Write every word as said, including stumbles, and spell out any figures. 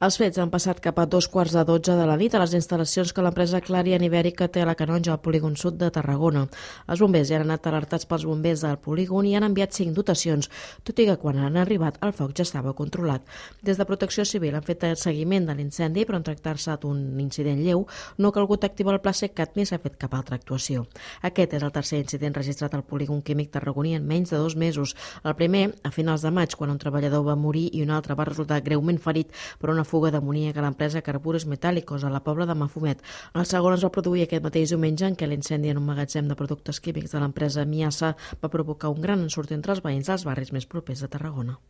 Els fets han passat cap a dos quarts de dotze de la nit a les instal·lacions que l'empresa Clariant Ibèrica té a la Canonja, al polígon sud de Tarragona. Els bombers ja han anat alertats pels bombers del polígon i han enviat cinc dotacions, tot i que quan han arribat el foc ja estava controlat. Des de Protecció Civil han fet el seguiment de l'incendi, però en tractar-se d'un incident lleu no ha calgut activar el pla SECAT ni s'ha fet cap altra actuació. Aquest és el tercer incident registrat al polígon químic tarragoní en menys de dos mesos. El primer, a finals de maig, quan un treballador va morir i un altre va resultar greument ferit per una fuga d'amoníac a l'empresa Carbures Metàl·licos a la Pobla de Mafumet. El segon es va produir aquest mateix diumenge, en què l'incendi en un magatzem de productes químics de l'empresa Miasa va provocar un gran ensurt entre els veïns dels barris més propers de Tarragona.